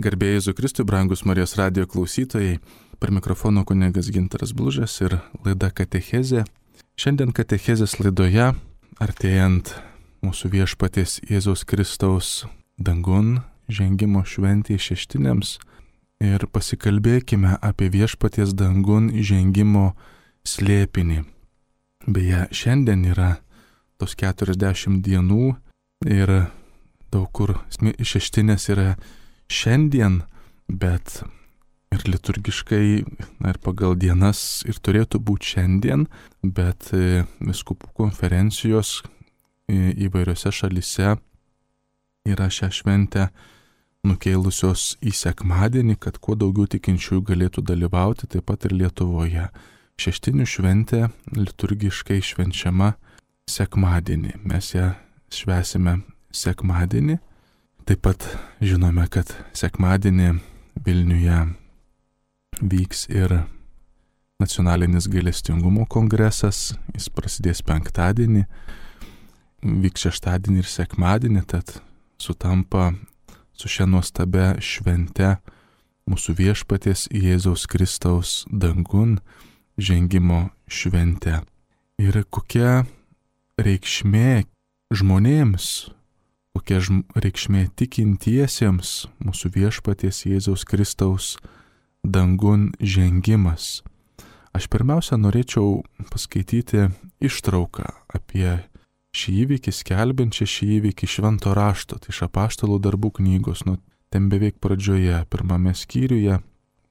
Garbė Jėzui Kristui, brangus Marijos radijo klausytojai, per mikrofono kunigas Gintaras Blužas ir laida Katechezė. Šiandien Katechezės laidoje, artėjant mūsų viešpaties Jėzaus Kristaus dangun žengimo šventėje šeštinėms, ir pasikalbėkime apie viešpaties dangun žengimo slėpinį. Beje, šiandien yra tos 40 dienų ir daug kur šeštinės yra šiandien, bet ir liturgiškai, ir pagal dienas ir turėtų būti šiandien, bet vyskupų konferencijos įvairiose šalyse yra šią šventę nukėlusios į sekmadienį, kad kuo daugiau tikinčiųjų galėtų dalyvauti, taip pat ir Lietuvoje. Šeštinių šventė liturgiškai švenčiama sekmadienį. Mes ją švęsime sekmadienį. Taip pat žinome, kad sekmadienį Vilniuje vyks ir nacionalinis gailestingumo kongresas. Jis prasidės penktadienį, vyks šeštadienį ir sekmadienį, tad sutampa su šia nuostabia švente mūsų viešpaties Jėzaus Kristaus dangun žengimo švente. Ir kokia reikšmė žmonėms, kokia reikšmė tikintiesiems mūsų viešpaties Jėzaus Kristaus dangun žengimas. Aš pirmiausia norėčiau paskaityti ištrauką apie šį įvykį, skelbiančią šį įvykį švento rašto, tai iš Apaštalų darbų knygos, ten beveik pradžioje, pirmame skyriuje,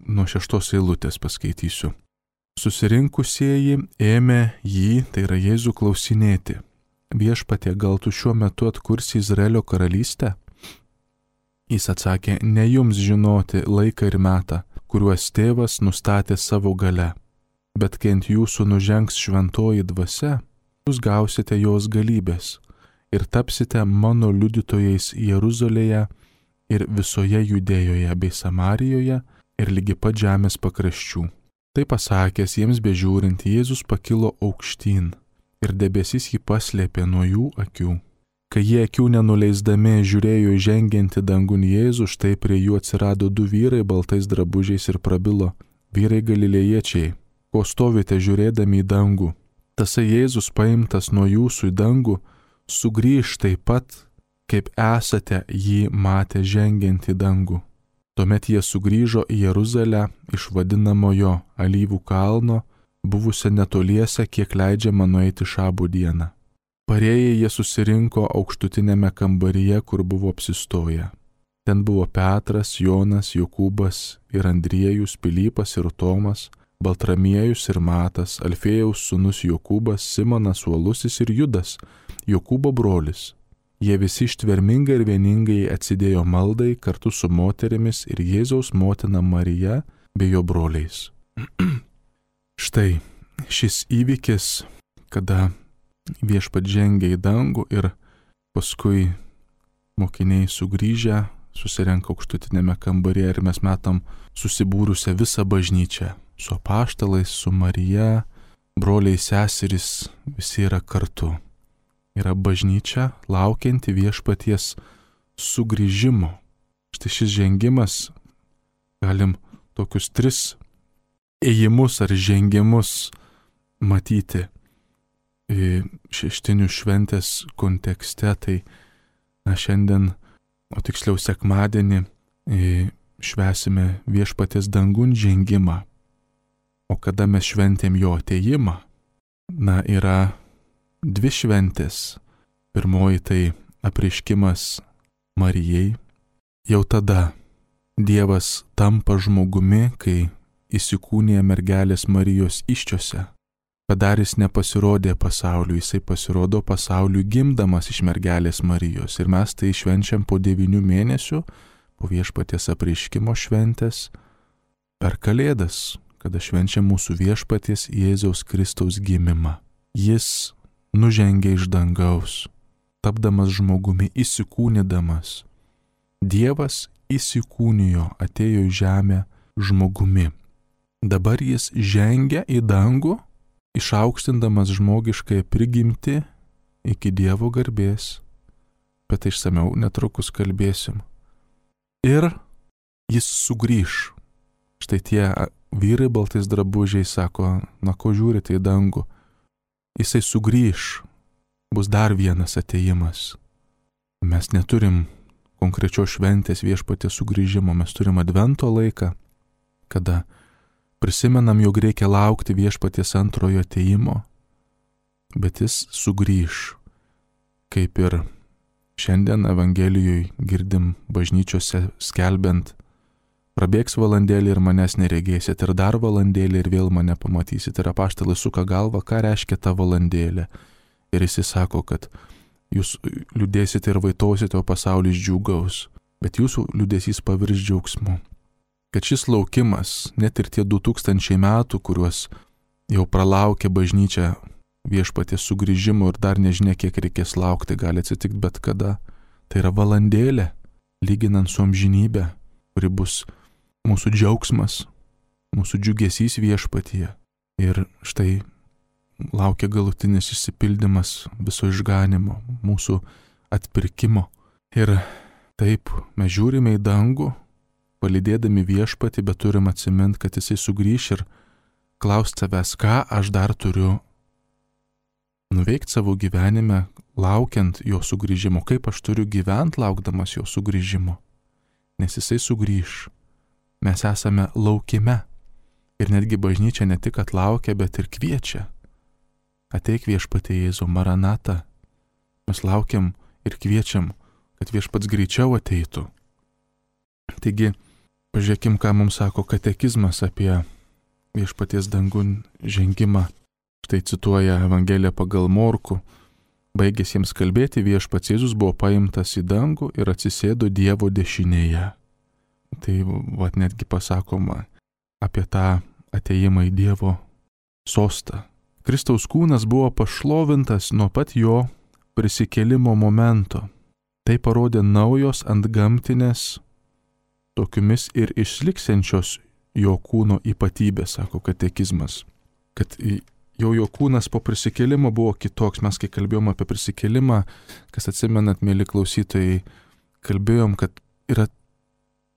nuo 6 eilutės paskaitysiu. Susirinkusieji ėmė jį, tai yra Jėzų, klausinėti: Viešpatie, gal tu šiuo metu atkursi Izraelio karalystę? Jis atsakė: ne jums žinoti laiką ir metą, kuriuos tėvas nustatė savo gale, bet kai ant jūsų nužengs šventoji dvasia, jūs gausite jos galybės ir tapsite mano liudytojais Jeruzalėje ir visoje Judėjoje bei Samarijoje ir lygi pat žemės pakraščių. Tai pasakęs, jiems bežiūrint, Jėzus pakilo aukštyn ir debesis jį paslėpė nuo jų akių. Kai jie akių nenuleisdami žiūrėjo į žengiantį dangun Jėzų, štai prie jų atsirado 2 vyrai baltais drabužiais ir prabilo: vyrai galilėjiečiai, ko stovite žiūrėdami į dangų? Tasai Jėzus, paimtas nuo jūsų į dangų, sugrįš taip pat, kaip esate jį matę žengiant į dangų. Tuomet jie sugrįžo į Jeruzalę iš vadinamojo Alyvų kalno, buvusią netoliese, kiek leidžiama nueiti šabų dieną. Parėję jie susirinko aukštutinėme kambaryje, kur buvo apsistoję. Ten buvo Petras, Jonas, Jokūbas ir Andriejus, Pilypas ir Tomas, Baltramiejus ir Matas, Alfėjaus sūnus Jokūbas, Simonas Uolusis ir Judas, Jokūbo brolis. Jie visi ištvermingai ir vieningai atsidėjo maldai kartu su moterimis ir Jėzaus motina Marija bei jo broliais. Štai šis įvykis, kada viešpat žengia į dangų ir paskui mokiniai sugrįžę susirenka aukštutinėme kambaryje ir mes matom susibūrusią visą bažnyčią su apaštalais, su Marija, broliai, seserys, visi yra kartu. Yra bažnyčia laukianti viešpaties sugrįžimo. Štai šis žengimas, galim tokius 3 ėjimus ar žengimus matyti šeštinių šventės kontekste. Tai šiandien, o tiksliau sekmadienį, švęsime viešpaties dangun žengimą. O kada mes šventėm jo atėjimą? Yra 2 šventės. Pirmoji tai apreiškimas Marijai. Jau tada Dievas tampa žmogumi, kai įsikūnija mergelės Marijos įsčiose. Padarys nepasirodė pasauliui, jisai pasirodo pasauliui gimdamas iš mergelės Marijos. Ir mes tai švenčiam po 9 mėnesių, po viešpaties apreiškimo šventės, per Kalėdas, kada švenčiam mūsų viešpaties Jėzaus Kristaus gimimą. Jis nužengė iš dangaus, tapdamas žmogumi, įsikūnydamas. Dievas įsikūnijo, atėjo į žemę žmogumi. Dabar jis žengia į dangų, išaukštindamas žmogiškąją prigimtį iki Dievo garbės. Bet išsamiau netrukus kalbėsim. Ir jis sugrįš. Štai tie vyrai baltais drabužiais sako, na ko žiūrite į dangų, jisai sugrįš, bus dar vienas atėjimas. Mes neturim konkrečios šventės viešpaties sugrįžimo, mes turim advento laiką, kada prisimenam, jog reikia laukti viešpaties antrojo atėjimo, bet jis sugrįš, kaip ir šiandien Evangelijoje girdim bažnyčiose skelbiant, prabėgs valandėlį ir manęs neregėsit, ir dar valandėlį ir vėl mane pamatysit. Ir apaštalai suka galvą, ką reiškia ta valandėlė. Ir jis sako, kad jūs liūdėsite ir vaitosite, o pasaulis džiūgaus, bet jūsų liūdėsys pavirs džiaugsmu. Kad šis laukimas, net ir tie 2000 metų, kuriuos jau pralaukė bažnyčia viešpaties sugrįžimo ir dar nežinia, kiek reikės laukti, gali atsitikti bet kada. Tai yra valandėlė, lyginant su amžinybė, kuri bus mūsų džiaugsmas, mūsų džiugesys viešpatyje. Ir štai laukia galutinis išsipildymas viso išganimo, mūsų atpirkimo. Ir taip mes žiūrime į dangų, palydėdami viešpatį, bet turim atsiminti, kad jisai sugrįš ir klausti savęs, ką aš dar turiu nuveikti savo gyvenime, laukiant jo sugrįžimo, kaip aš turiu gyventi laukdamas jo sugrįžimo. Nes jisai sugrįš. Mes esame laukime. Ir netgi bažnyčia ne tik atlaukia, bet ir kviečia. Ateik viešpatie Jėzau, Maranata. Mes laukiam ir kviečiam, kad viešpats greičiau ateitų. Taigi, pažiūrėkim, ką mums sako katekizmas apie viešpaties dangun žengimą. Štai cituoja Evangeliją pagal Morkų. Baigęs jiems kalbėti, viešpats Jėzus buvo paimtas į dangų ir atsisėdo Dievo dešinėje. Tai netgi pasakoma apie tą atėjimą į Dievo sostą. Kristaus kūnas buvo pašlovintas nuo pat jo prisikėlimo momento. Tai parodė naujos antgamtinės, tokiomis ir išliksiančios jo kūno ypatybės, sako katekizmas. Kad jo kūnas po prisikėlimo buvo kitoks. Mes, kai kalbėjom apie prisikėlimą, kas atsimenat, mėly klausytojai, kalbėjom, kad yra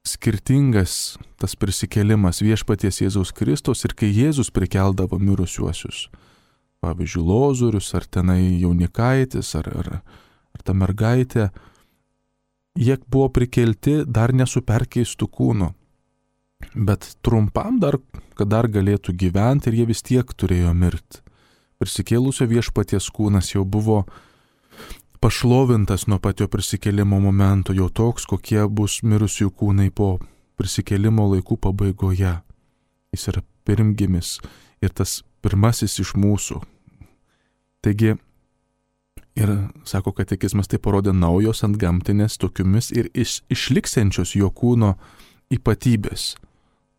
skirtingas tas prisikėlimas viešpaties Jėzaus Kristaus ir kai Jėzus prikeldavo mirusiuosius. Pavyzdžiui, Lozorius, ar tenai jaunikaitis, ar ta mergaitė, jie buvo prikelti dar nesu perkeistų kūnų, bet trumpam dar, kad dar galėtų gyventi ir jie vis tiek turėjo mirti. Prisikėlusio viešpaties kūnas jau buvo pašlovintas nuo pat jo prisikėlimo momento, jau toks, kokie bus mirusių kūnai po prisikėlimo laikų pabaigoje. Jis yra pirmgimis ir tas pirmasis iš mūsų. Taigi, ir sako katekizmas, tai parodė naujos antgamtinės tokiomis ir išliksiančios jo kūno ypatybės.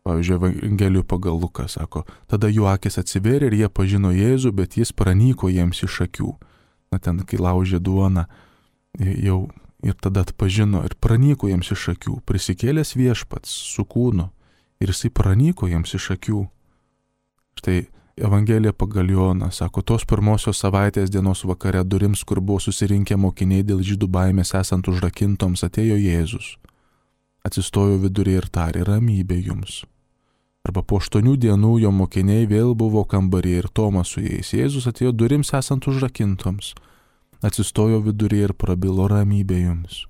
Pavyzdžiui, Evangelijų pagal Luką sako, tada jų akis atsivėrė ir jie pažino Jėzų, bet jis pranyko jiems iš akių. Na ten, kai laužė duoną, jau ir tada atpažino ir pranyko jiems iš akių. Prisikėlęs viešpats su kūnu ir jisai pranyko jiems iš akių. Štai Evangelija pagal Joną sako, tos pirmosios savaitės dienos vakare durims, kur buvo susirinkę mokiniai dėl žydų baimės esant užrakintoms, atėjo Jėzus. Atsistojo viduryje ir tarė, ramybė jums. Arba po 8 dienų jo mokiniai vėl buvo kambaryje ir Tomas su jais. Jėzus atėjo durims esant užrakintoms. Atsistojo viduryje ir prabilo, ramybė jums.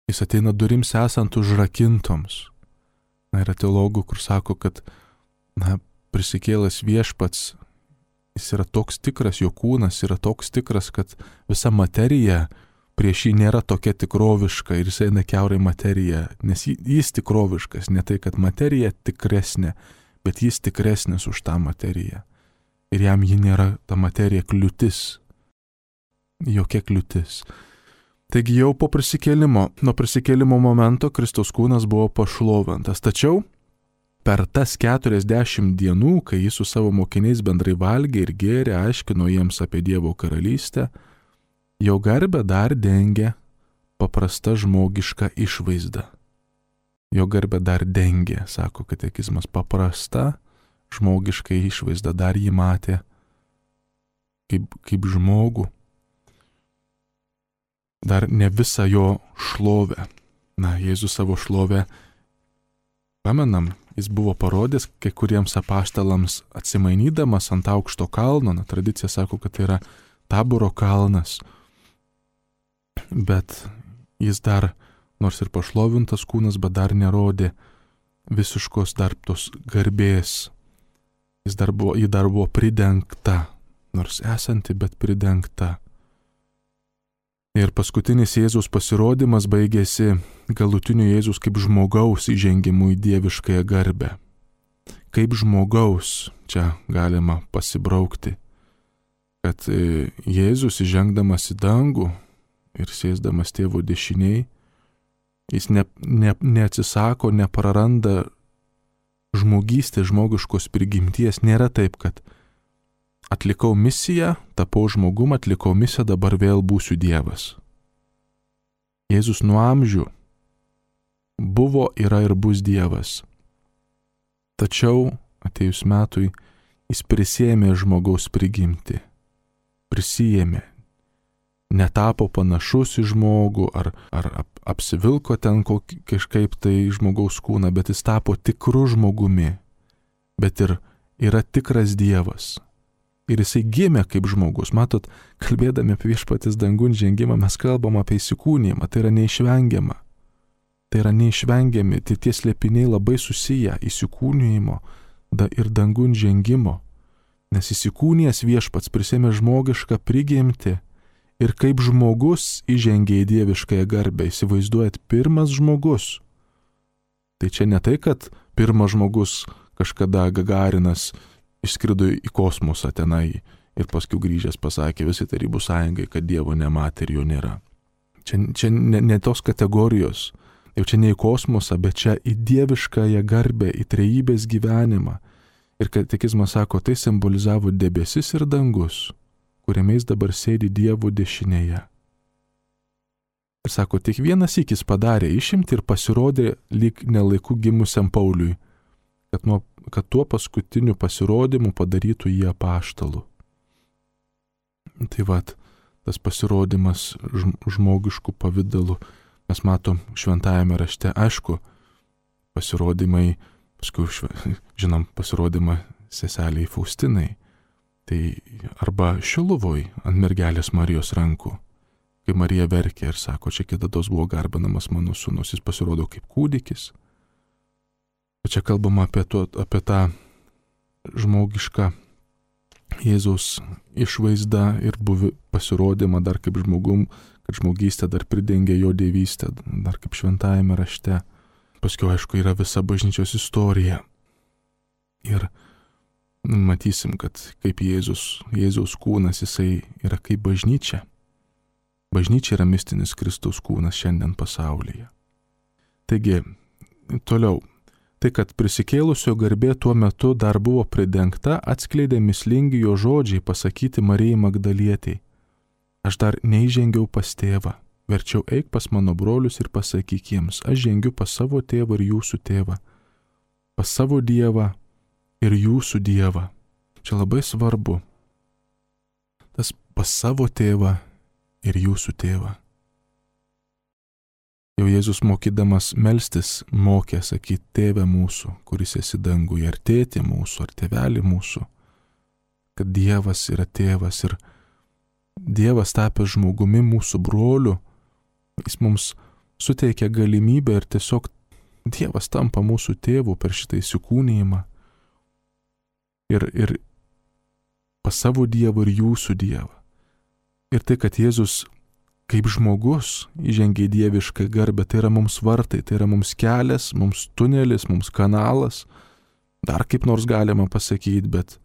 Jis ateina durims esant užrakintoms. Na, yra teologų, kur sako, kad prisikėlęs viešpats, jis yra toks tikras, jo kūnas yra toks tikras, kad visa materija prieš jį nėra tokia tikroviška ir jis eina kiaurai materiją, nes jis tikroviškas, ne tai, kad materija tikresnė, bet jis tikresnis už tą materiją. Ir jam ji nėra ta materija kliūtis, jokia kliūtis. Taigi jau po prisikėlimo, nuo prisikėlimo momento Kristaus kūnas buvo pašlovintas, tačiau per tas 40 dienų, kai jis su savo mokiniais bendrai valgė ir gėrė, aiškino jiems apie Dievo karalystę, jo garbę dar dengė paprasta žmogiška išvaizda. Jo garbę dar dengė, sako katekizmas, paprasta žmogiška išvaizda, dar jį matė kaip žmogų. Dar ne visą jo šlovę. Na, Jėzus savo šlovę Pamenam, jis buvo parodęs kai kuriems apaštalams atsimainydamas ant aukšto kalno, tradicija sako, kad tai yra Taboro kalnas, bet jis dar, nors ir pašlovintas kūnas, bet dar nerodė visiškos dar tos garbės. Ji dar buvo pridengta, nors esanti, bet pridengta. Ir paskutinis Jėzaus pasirodymas baigėsi galutiniu Jėzaus kaip žmogaus įžengimu į dieviškąją garbę. Kaip žmogaus čia galima pasibraukti, kad Jėzus įžengdamas į dangų ir sėsdamas tėvo dešiniai, jis neatsisako, nepraranda žmogystės, žmogiškos prigimties. Nėra taip, kad atlikau misiją, tapau žmogum, atlikau misiją, dabar vėl būsiu Dievas. Jėzus nuo amžių buvo, yra ir bus Dievas. Tačiau atėjus metui jis prisėmė žmogaus prigimtį. Prisijėmė. Netapo panašus į žmogų ar apsivilko ten kažkaip tai žmogaus kūną, bet jis tapo tikru žmogumi, bet ir yra tikras Dievas. Ir jisai gimė kaip žmogus. Matot, kalbėdami apie viešpaties dangun žengimą, mes kalbam apie įsikūnijimą, tai yra neišvengiama. Tai yra neišvengiami, tai tie slėpiniai labai susiję įsikūnijimo ir dangun žengimo, nes įsikūnijęs viešpats prisėmė žmogišką prigimtį ir kaip žmogus įžengė į dieviškąją garbę. Įsivaizduojat, pirmas žmogus. Tai čia ne tai, kad pirmas žmogus kažkada Gagarinas išskrido į kosmosą tenai ir paskui grįžęs pasakė visi Tarybų sąjungai, kad Dievo nematė ir jo nėra. Čia ne tos kategorijos. Jau čia ne į kosmosą, bet čia į dieviškąją garbę, į trejybės gyvenimą. Ir katekizmas sako, tai simbolizavo debesis ir dangus, kuriame jis dabar sėdi Dievo dešinėje. Ir sako, tik vienas sykis padarė išimtį ir pasirodė lyg nelaiku gimusiam Pauliui, kad tuo paskutiniu pasirodymu padarytų jį apaštalu. Tai vat, tas pasirodymas žmogiškų pavidalų, mes matom šventajame rašte, aišku, pasirodymai, paskui, žinom, pasirodymą seseliai Faustinai, tai arba Šiluvoj ant mergelės Marijos rankų, kai Marija verkė ir sako, čia kitados buvo garbinamas mano sūnus, jis pasirodo kaip kūdikis. O čia kalbama apie tą žmogišką Jėzaus išvaizdą ir pasirodymą dar kaip žmogum, kad žmogystė dar pridengia jo dievystę, dar kaip šventajame rašte. Paskui, aišku, yra visa bažnyčios istorija. Ir matysim, kad kaip Jėzaus kūnas, jisai yra kaip bažnyčia. Bažnyčia yra mistinis Kristaus kūnas šiandien pasaulyje. Taigi, toliau. Tai, kad prisikėlusio garbė tuo metu dar buvo pridengta, atskleidė mįslingi jo žodžiai pasakyti Marijai Magdalietei. Aš dar neįžengiau pas tėvą, verčiau eik pas mano brolius ir pasakyk jiems, aš žengiu pas savo tėvą ir jūsų tėvą, pas savo Dievą ir jūsų Dievą. Čia labai svarbu. Tas pas savo tėvą ir jūsų tėvą. Jau Jėzus mokydamas melstis mokė sakyti tėve mūsų, kuris esi danguje, ar tėtė mūsų, ar tėvelį mūsų, kad Dievas yra tėvas ir Dievas tapęs žmogumi mūsų broliu, jis mums suteikia galimybę ir tiesiog Dievas tampa mūsų tėvu per šitą įsikūnijimą. Ir pas savo Dievą ir jūsų Dievą. Ir tai, kad Jėzus kaip žmogus įžengia į dievišką garbę, tai yra mums vartai, tai yra mums kelias, mums tunelis, mums kanalas, dar kaip nors galima pasakyti, bet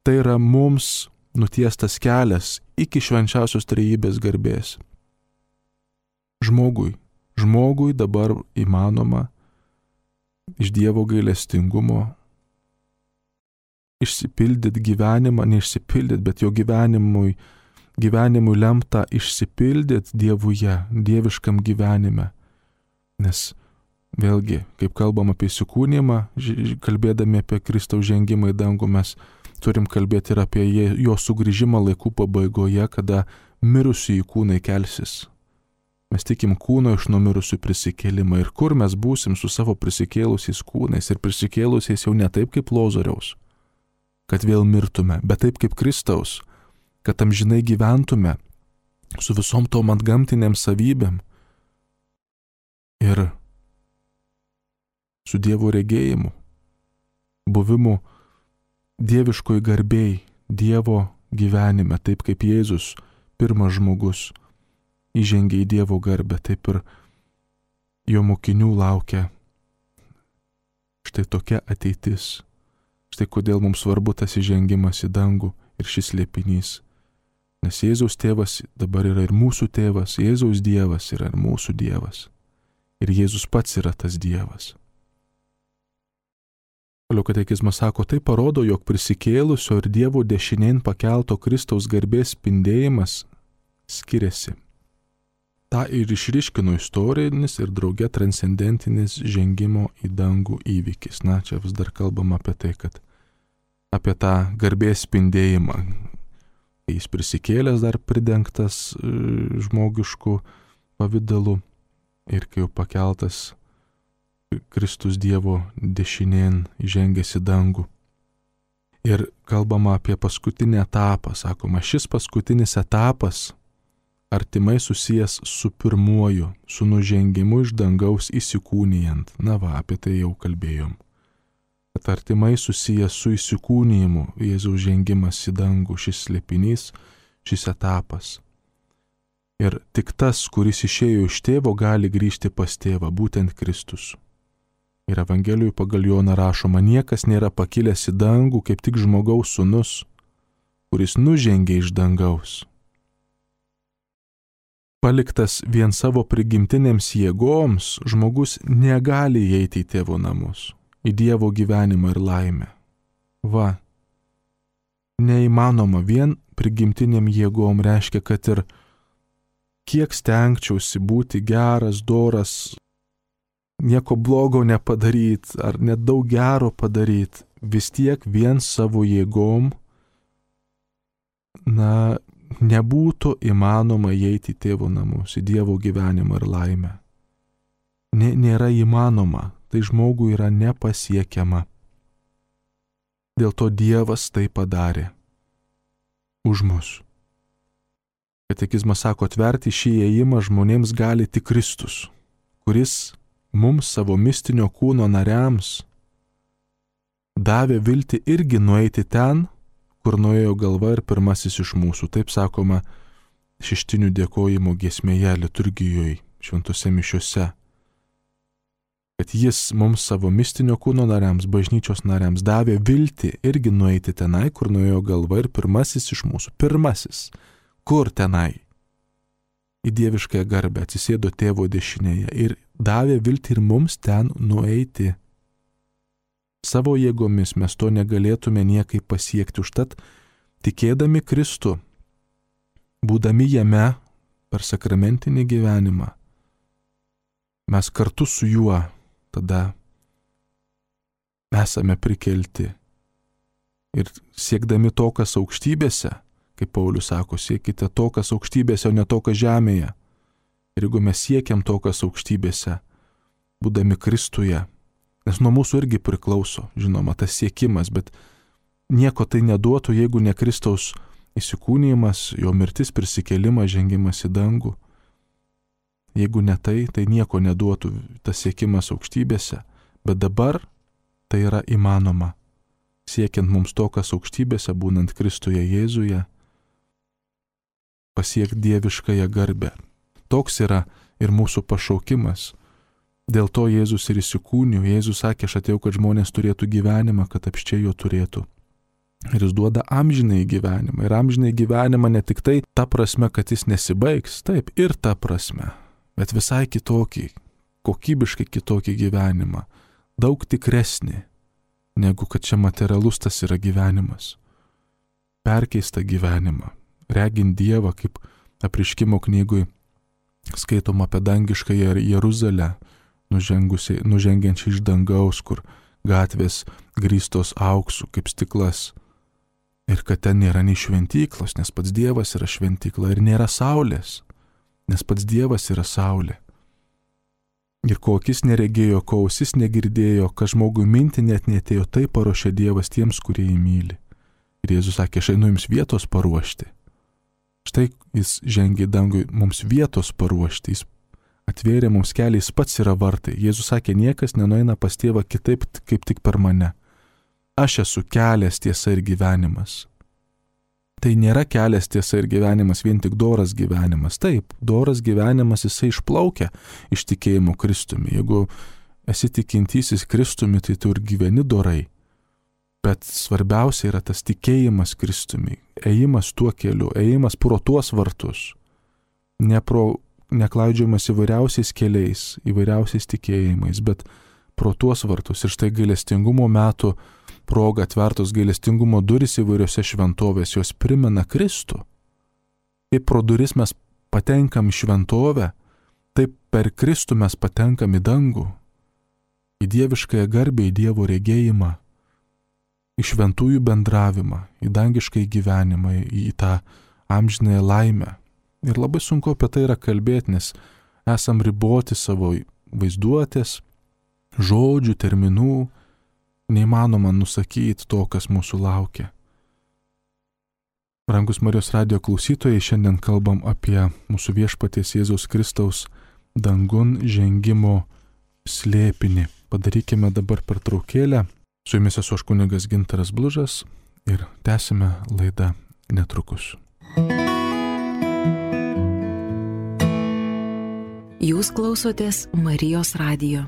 tai yra mums nutiestas kelias iki švenčiausios trejybės garbės. Žmogui dabar įmanoma iš Dievo gailestingumo išsipildyti gyvenimą, neišsipildyti, bet jo gyvenimui lemta išsipildyti Dievuje, dieviškam gyvenime. Nes vėlgi, kaip kalbam apie įsikūnymą, kalbėdami apie Kristaus žengimą į dangų, mes turim kalbėti ir apie jo sugrįžimą laikų pabaigoje, kada mirusiųjų kūnai kelsis. Mes tikim kūno iš numirusių prisikėlimą. Ir kur mes būsim su savo prisikėlusiais kūnais ir prisikėlusiais jau ne taip kaip Lozoriaus, kad vėl mirtume, bet taip kaip Kristaus, kad amžinai gyventume su visom tom antgamtiniam savybėm ir su Dievo regėjimu, buvimu dieviškoj garbėj, Dievo gyvenime, taip kaip Jėzus, pirmas žmogus, įžengė į Dievo garbę, taip ir jo mokinių laukia štai tokia ateitis. Štai kodėl mums svarbu tas įžengimas į dangų ir šis slėpinys. Nes Jėzaus tėvas dabar yra ir mūsų tėvas, Jėzaus Dievas yra ir mūsų Dievas. Ir Jėzus pats yra tas Dievas. Toliau katekizmas sako, tai parodo, jog prisikėlusio ir Dievo dešinėn pakelto Kristaus garbės spindėjimas skiriasi. Ta ir išryškino istorinis ir drauge transcendentinis žengimo į dangų įvykis. Na, čia vis dar kalbam apie tai, kad apie tą garbės spindėjimą. Jis prisikėlęs dar pridengtas žmogišku pavidalu ir kai jau pakeltas Kristus Dievo dešinėn įžengęs į dangų. Ir kalbama apie paskutinį etapą. Sakoma, šis paskutinis etapas artimai susijęs su pirmuoju, su nužengimu iš dangaus įsikūnijant. Na va, apie tai jau kalbėjom. Kad artimai susijęs su įsikūnijimu, Jėzaus žengimas į dangų, šis slėpinys, šis etapas. Ir tik tas, kuris išėjo iš tėvo, gali grįžti pas tėvą, būtent Kristus. Ir Evangelijoje pagal Joną rašoma, niekas nėra pakilęs į dangų, kaip tik žmogaus sūnus, kuris nužengė iš dangaus. Paliktas vien savo prigimtinėms jėgoms, žmogus negali įeiti į tėvo namus, į Dievo gyvenimą ir laimę. Va, neįmanoma vien prigimtiniam jėgom reiškia, kad ir kiek stengčiausi būti geras, doras, nieko blogo nepadaryti ar net daug gero padaryti, vis tiek vien savo jėgom, nebūtų įmanoma įeiti į tėvo namus, į Dievo gyvenimą ir laimę. Nėra įmanoma, tai žmogui yra nepasiekiama. Dėl to Dievas tai padarė už mus. Katekizmas sako, atverti šį įėjimą žmonėms gali tik Kristus, kuris mums savo mistinio kūno nariams davė viltį irgi nueiti ten, kur nuėjo galva ir pirmasis iš mūsų. Taip sakoma šeštinių dėkojimo giesmėje liturgijoje, šventose mišiose. Kad jis mums savo mistinio kūno nariams, bažnyčios nariams davė viltį irgi nueiti tenai, kur nuėjo galva ir pirmasis iš mūsų. Pirmasis. Kur tenai? Į dieviškąją garbę atsisėdo tėvo dešinėje ir davė viltį ir mums ten nueiti. Savo jėgomis mes to negalėtume niekaip pasiekti. Užtat, tikėdami Kristų, būdami jame per sakramentinį gyvenimą, mes kartu su juo tada esame prikelti. Ir siekdami to, kas aukštybėse, kaip Paulius sako, siekite to, kas aukštybėse, o ne to, kas žemėje. Ir jeigu mes siekiam to, kas aukštybėse, būdami Kristuje, nes nuo mūsų irgi priklauso, žinoma, tas siekimas, bet nieko tai neduotų, jeigu ne Kristaus įsikūnijimas, jo mirtis, prisikėlimas, žengimas į dangų. Jeigu ne tai, tai nieko neduotų tas siekimas aukštybėse, bet dabar tai yra įmanoma. Siekiant mums to, kas aukštybėse, būnant Kristuje Jėzuje, pasiekti dieviškąją garbę. Toks yra ir mūsų pašaukimas. Dėl to Jėzus ir įsikūnijo. Jėzus sakė, aš atėjau, kad žmonės turėtų gyvenimą, kad apsčiai jo turėtų. Ir jis duoda amžinąjį gyvenimą. Ir amžinąjį gyvenimą ne tik tai ta prasme, kad jis nesibaigs, taip, ir ta prasme, bet visai kitokį, kokybiškai kitokį gyvenimą. Daug tikresnį, negu kad čia materialus tas yra gyvenimas. Perkeistą gyvenimą. Regint Dievą, kaip Apreiškimo knygui skaitoma apie dangiškąją Jeruzalę, nužengiančią iš dangaus, kur gatvės grįstos auksu kaip stiklas. Ir kad ten nėra nei šventyklos, nes pats Dievas yra šventykla, ir nėra saulės, nes pats Dievas yra saulė. Ir ko akis neregėjo, ko ausis negirdėjo, kas žmogui minti net neatėjo, tai paruošė Dievas tiems, kurie jį myli. Ir Jėzus sakė, aš einu jums vietos paruošti. Štai jis žengė į dangų mums vietos paruošti, jis atvėrė mums kelią, jis pats yra vartai. Jėzus sakė, niekas nenueina pas tėvą kitaip, kaip tik per mane. Aš esu kelias, tiesa ir gyvenimas. Tai nėra kelias, tiesa ir gyvenimas, vien tik doras gyvenimas. Taip, doras gyvenimas jisai išplaukia iš tikėjimo Kristumi. Jeigu esi tikintysis Kristumi, tai tu ir gyveni dorai. Bet svarbiausia yra tas tikėjimas Kristumi, ėjimas tuo keliu, ėjimas pro tuos vartus, neklaidžiojimas įvairiausiais keliais, įvairiausiais tikėjimais, bet pro tuos vartus. Ir štai gailestingumo metų proga atvertos gailestingumo durys įvairiose šventovės, jos primena Kristų. Kaip pro duris mes patenkam į šventovę, taip per Kristų mes patenkam į dangų, į dieviškąją garbę, į Dievo regėjimą, į šventųjų bendravimą, į dangiškąjį gyvenimą, į tą amžinąją laimę. Ir labai sunku apie tai yra kalbėti, nes esam riboti savo vaizduotės, žodžių, terminų, neįmanoma nusakyti to, kas mūsų laukia. Brangus Marijos radijo klausytojai, šiandien kalbam apie mūsų viešpaties Jėzaus Kristaus dangun žengimo slėpinį. Padarykime dabar pertraukėlę. Su jumis esu aš kunigas Gintaras Blužas ir tęsime laidą netrukus. Jūs klausotės Marijos radijo.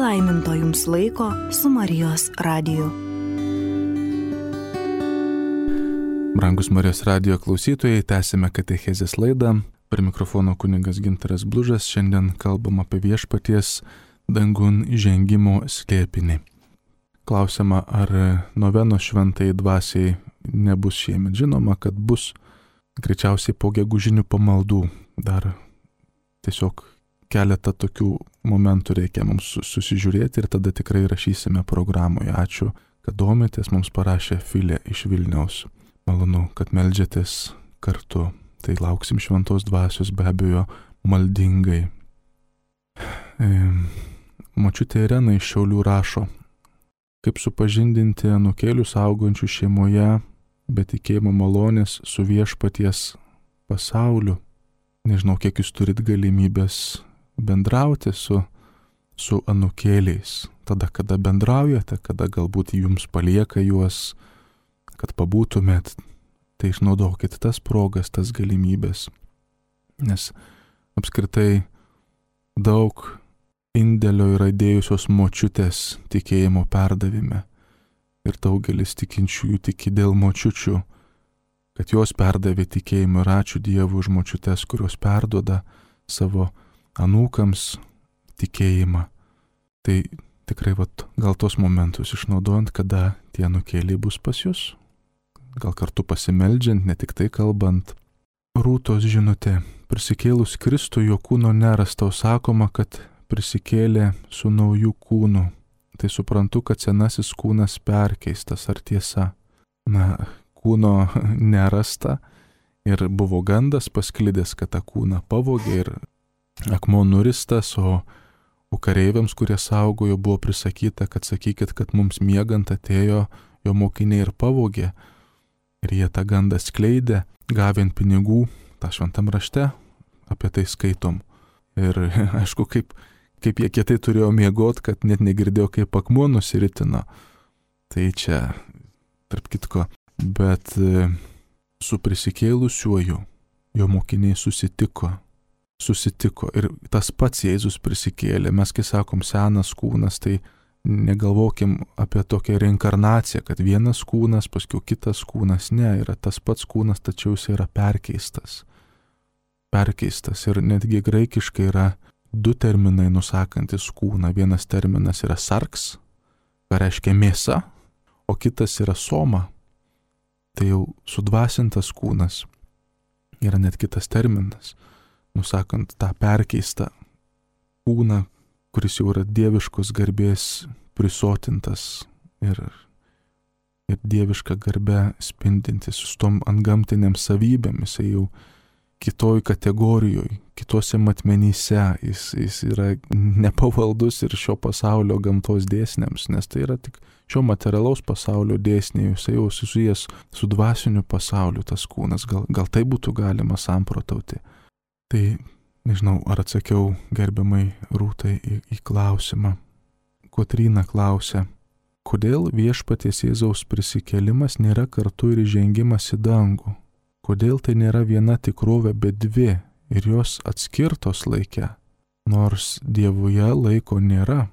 palaiminto jums laiko su Marijos radiju. Brangus Marijos radijo klausytojai, tęsime katechezės laidą. Prie mikrofono kunigas Gintaras Blužas. Šiandien kalbam apie viešpaties dangun įžengimo slėpinį. Klausiama, ar novenos šventai dvasiai nebus šiemet. Žinoma, kad bus greičiausiai po gegužinių pamaldų. Dar tiesiog keletą tokių momentų reikia mums susižiūrėti ir tada tikrai rašysime programoje. Ačiū, kad domitės, mums parašė Filė iš Vilniaus. Malonu, kad meldžiatės kartu. Tai lauksim šventos dvasios be abejo maldingai. Močiutė Irena iš Šiaulių rašo, kaip supažindinti anūkėlius augančių šeimoje be tikėjimo malonės su viešpaties pasauliu. Nežinau, kiek jūs turit galimybės bendrauti su anūkėliais. Tada, kada bendraujate, kada galbūt jums palieka juos, kad pabūtumėt, tai išnaudokit tas progas, tas galimybės. Nes apskritai daug indėlio yra dėjusios močiutės tikėjimo perdavime. Ir daugelis tikinčiųjų tiki dėl močiučių, kad jos perdavė tikėjimą ir ačiū Dievui už močiutes, kurios perduoda savo anūkams tikėjimą. Tai tikrai gal tos momentus išnaudojant, kada tie anūkėliai bus pas jūs. Gal kartu pasimeldžiant, ne tik tai kalbant. Rūtos žinutė. Prisikėlus Kristui jo kūno nerasta, sakoma, kad prisikėlė su nauju kūnu. Tai suprantu, kad senasis kūnas perkeistas, ar tiesa? Kūno nerasta ir buvo gandas pasklidęs, kad tą kūną pavogė ir akmuo nuristas, o kareiviams, kurie saugojo, buvo prisakyta, kad sakykit, kad mums miegant atėjo jo mokiniai ir pavogė. Ir jie tą gandą skleidė, gavint pinigų, tą šventam rašte, apie tai skaitom. Ir aišku, kaip jie kietai turėjo miegot, kad net negirdėjo, kaip akmuo nusiritino. Tai čia, tarp kitko, bet su prisikėlusiuoju jo mokiniai susitiko. Ir tas pats Jėzus prisikėlė. Mes, kai sakom senas kūnas, tai negalvokim apie tokią reinkarnaciją, kad vienas kūnas, paskui kitas kūnas. Ne, yra tas pats kūnas, tačiau jis yra perkeistas. Ir netgi graikiškai yra du terminai nusakantis kūną. Vienas terminas yra sarks, ką reiškia mėsa, o kitas yra soma. Tai jau sudvasintas kūnas. Yra net kitas terminas, nusakant tą perkeistą kūną, kuris jau yra dieviškos garbės prisotintas ir dievišką garbę spindintis su tom antgamtinėm savybėmis, jis jau kitoj kategorijoje, kitose matmenyse, jis yra nepavaldus ir šio pasaulio gamtos dėsniams, nes tai yra tik šio materialaus pasaulio dėsniai, jis jau susijęs su dvasiniu pasauliu tas kūnas, gal tai būtų galima samprotauti. Tai nežinau, ar atsakiau gerbiamai Rūtai į klausimą. Kotryna klausia, kodėl viešpaties Jėzaus prisikėlimas nėra kartu ir įžengimas į dangų? Kodėl tai nėra viena tikrovė, bet dvi ir jos atskirtos laike, nors Dievuje laiko nėra?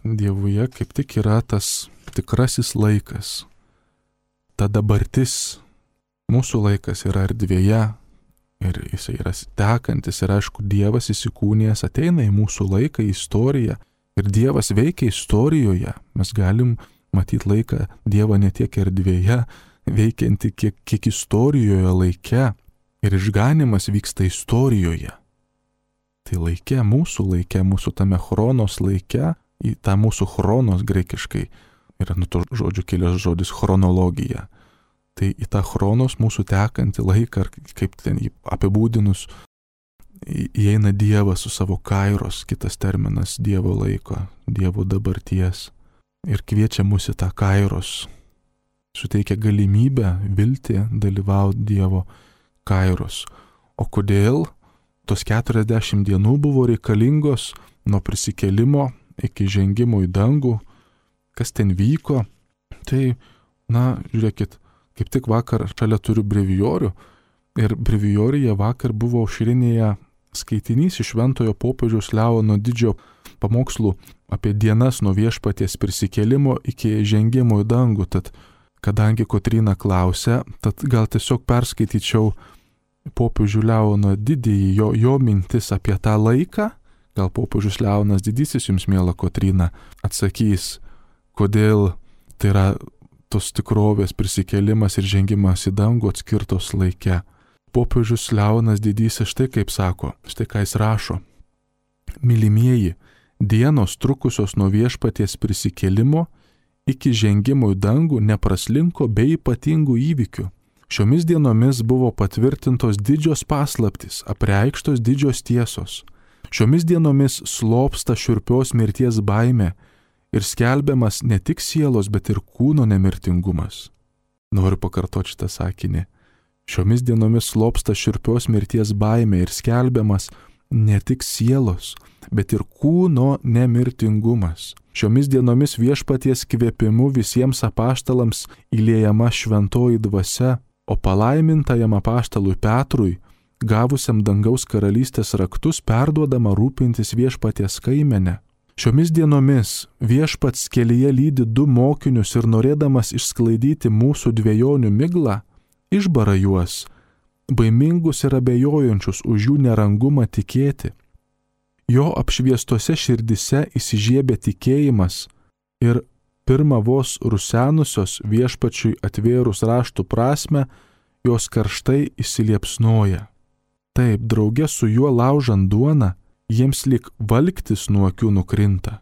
Dievuje kaip tik yra tas tikrasis laikas. Ta dabartis, mūsų laikas yra erdvėje, ir jis yra tekantis ir aišku, Dievas įsikūnijęs ateina į mūsų laiką, į istoriją ir Dievas veikia istorijoje. Mes galim matyti laiką Dievą ne tiek erdvėje, veikianti kiek istorijoje laike ir išganimas vyksta istorijoje. Tai laike, mūsų tame chronos laike, į tą mūsų chronos graikiškai yra nuo to žodžių kilęs žodis chronologija. Tai į tą chronos mūsų tekantį laiką, ar kaip ten jį apibūdinus, įeina Dievas su savo kairos, kitas terminas Dievo laiko, Dievo dabarties. Ir kviečia mus į tą kairos, suteikia galimybę, viltį dalyvauti Dievo kairos. O kodėl tos 40 dienų buvo reikalingos nuo prisikėlimo iki žengimo į dangų, kas ten vyko? Tai, žiūrėkit, kaip tik vakar šalia turiu brevijorių ir brevijorija vakar buvo aušrinėje skaitinys iš Šventojo popiežiaus Leono Didžiojo pamokslų apie dienas nuo Viešpaties prisikėlimo iki žengimo į dangų. Tad, kadangi Kotryna klausia, tad gal tiesiog perskaityčiau popiežių Leoną Didįjį, jo mintis apie tą laiką. Gal popiežius Leonas Didysis jums, miela Kotryna, atsakys, kodėl tai yra tos tikrovės prisikėlimas ir žengimas į dangų atskirtos laike. Popiežius Leonas Didysis štai kaip sako, štai ką jis rašo. Mylimieji, dienos trukusios nuo Viešpaties prisikėlimo iki žengimo į dangų nepraslinko be ypatingų įvykių. Šiomis dienomis buvo patvirtintos didžios paslaptys, apreikštos didžios tiesos. Šiomis dienomis slopsta šiurpios mirties baimė ir skelbiamas ne tik sielos, bet ir kūno nemirtingumas. Noriu pakartoti šitą sakinį. Šiomis dienomis slopsta šiurpios mirties baimė ir skelbiamas ne tik sielos, bet ir kūno nemirtingumas. Šiomis dienomis Viešpaties kvėpimu visiems apaštalams įliejama šventoji dvasia, o palaimintajam apaštalui Petrui, gavusiam dangaus karalystės raktus, perduodama rūpintis Viešpaties kaimenę. Šiomis dienomis Viešpats kelyje lydi 2 mokinius ir norėdamas išsklaidyti mūsų dvejonių miglą, išbara juos, baimingus ir abejojančius už jų nerangumą tikėti. Jo apšviestose širdise įsižiebė tikėjimas ir pirma vos rusenusios Viešpačiui atvėrus raštų prasmę, jos karštai įsiliepsnoja. Taip, drauge su juo laužant duoną, jiems lyg valktis nuo akių nukrinta.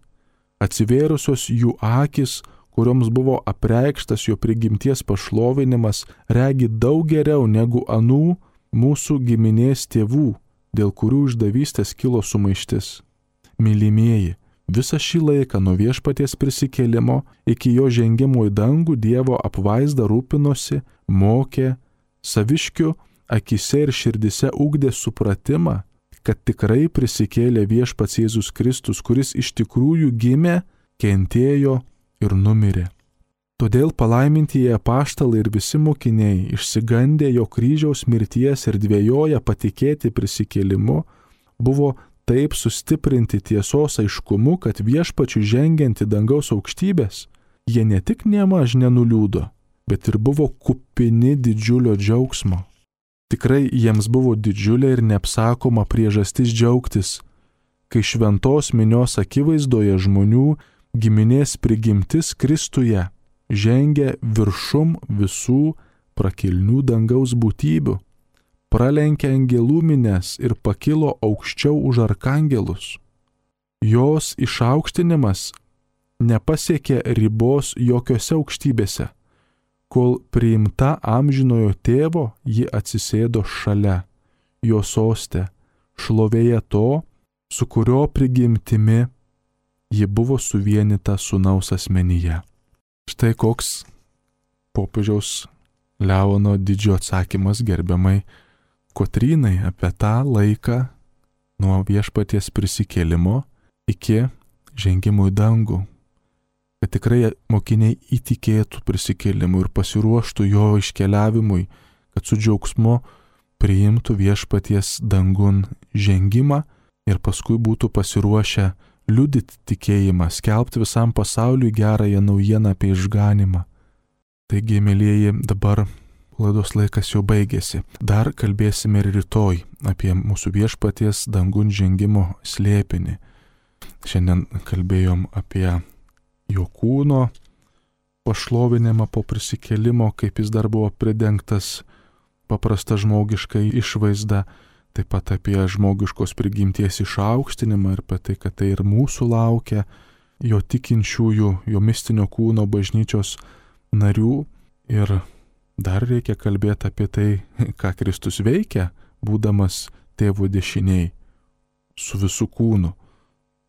Atsivėrusios jų akis, kurioms buvo apreikštas jo prigimties pašlovinimas, regi daug geriau negu anų mūsų giminės tėvų, dėl kurių išdavystės kilo sumaištis. Mylimieji, visą šį laiką nuo Viešpaties prisikėlimo iki jo žengimo į dangų Dievo apvaizda rūpinosi, mokė, saviškių akise ir širdise ugdė supratimą, kad tikrai prisikėlė Viešpats Jėzus Kristus, kuris iš tikrųjų gimė, kentėjo ir numirė. Todėl palaimintieji apaštalai ir visi mokiniai, išsigandę jo kryžiaus mirties ir dvejoja patikėti prisikėlimu, buvo taip sustiprinti tiesos aiškumu, kad Viešpačiui žengiant į dangaus aukštybės, jie ne tik nemaž nenuliūdo, bet ir buvo kupini didžiulio džiaugsmo. Tikrai jiems buvo didžiulė ir neapsakoma priežastis džiaugtis, kai šventos minios akivaizdoje žmonių giminės prigimtis Kristuje žengė viršum visų prakilnių dangaus būtybių, pralenkė angelų mines ir pakilo aukščiau už arkangelus. Jos išaukštinimas nepasiekė ribos jokiose aukštybėse, kol priimta amžinojo tėvo ji atsisėdo šalia, jo soste, šlovėje to, su kurio prigimtimi ji buvo suvienyta sūnaus asmenyje. Štai koks popiežiaus Leono Didžiojo atsakymas gerbiamai Kotrynai apie tą laiką nuo Viešpaties prisikėlimo iki žengimo į dangų. Kad tikrai mokiniai įtikėtų prisikėlimu ir pasiruoštų jo iškeliavimui, kad su džiaugsmu priimtų Viešpaties dangun žengimą ir paskui būtų pasiruošę liudyti tikėjimą, skelbti visam pasauliui gerąją naujieną apie išganimą. Taigi, mėlyjeji, dabar laidos laikas jau baigėsi. Dar kalbėsime ir rytoj apie mūsų Viešpaties dangun žengimo slėpinį. Šiandien kalbėjom apie jo kūno pašlovinimą po prisikėlimo, kaip jis dar buvo pridengtas paprasta žmogiška išvaizda, taip pat apie žmogiškos prigimties išaukštinimą ir apie tai, kad tai ir mūsų laukia, jo tikinčiųjų, jo mistinio kūno bažnyčios narių. Ir dar reikia kalbėti apie tai, ką Kristus veikia, būdamas tėvo dešiniai, su visų kūnu,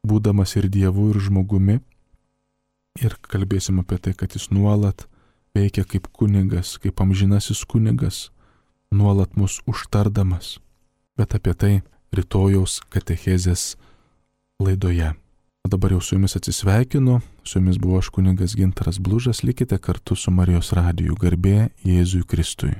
būdamas ir Dievu, ir žmogumi. Ir kalbėsim apie tai, kad jis nuolat veikia kaip kunigas, kaip amžinasis kunigas, nuolat mus užtardamas. Bet apie tai rytojaus katechezės laidoje. O dabar jau su jumis atsisveikinu, su jumis buvo aš kunigas Gintaras Blužas, likite kartu su Marijos radiju, garbė Jėzui Kristui.